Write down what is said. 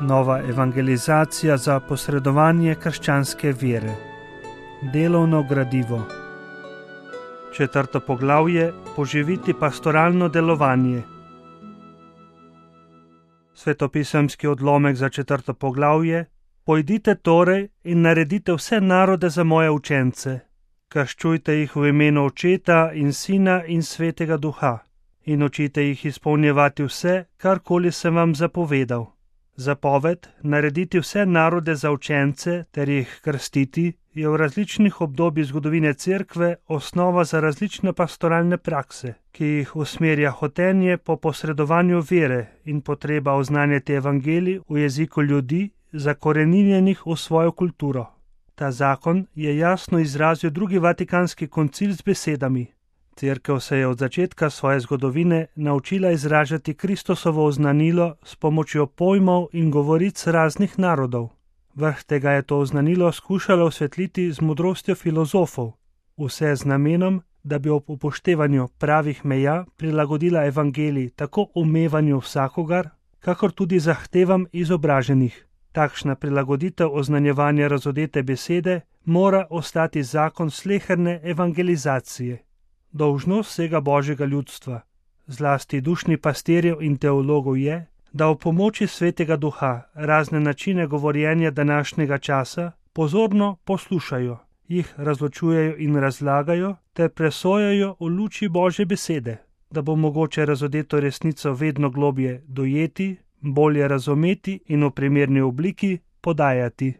Nova evangelizacija za posredovanje krščanske vere. Delovno gradivo. 4. poglavje: poživiti pastoralno delovanje. Svetopisemski odlomek za 4. poglavje: pojdite torej in naredite vse narode za moje učence, krščujte jih v imenu Očeta in Sina in Svetega Duha in učite jih izpolnjevati vse, karkoli sem vam zapovedal. Zapoved narediti vse narode za učence ter jih krstiti je v različnih obdobjih zgodovine Cerkve osnova za različne pastoralne prakse, ki jih usmerja hotenje po posredovanju vere in potreba oznanjati evangelij v jeziku ljudi, zakoreninjenih v svojo kulturo. Ta zakon je jasno izrazil drugi Vatikanski koncil z besedami: Cerkev se je od začetka svoje zgodovine naučila izražati Kristusovo oznanilo s pomočjo pojmov in govoric raznih narodov. Vrh tega je to oznanilo skušalo osvetliti z modrostjo filozofov, vse z namenom, da bi ob upoštevanju pravih meja prilagodila evangelij tako umevanju vsakogar, kakor tudi zahtevam izobraženih. Takšna prilagoditev oznanjevanja razodete besede mora ostati zakon sleherne evangelizacije. Dolžnost vsega Božjega ljudstva, zlasti dušni pastirjev in teologov je, da v pomoči Svetega Duha razne načine govorjenja današnjega časa pozorno poslušajo, jih razločujejo in razlagajo ter presojajo v luči Božje besede, da bo mogoče razodeto resnico vedno globje dojeti, bolje razumeti in v primerni obliki podajati.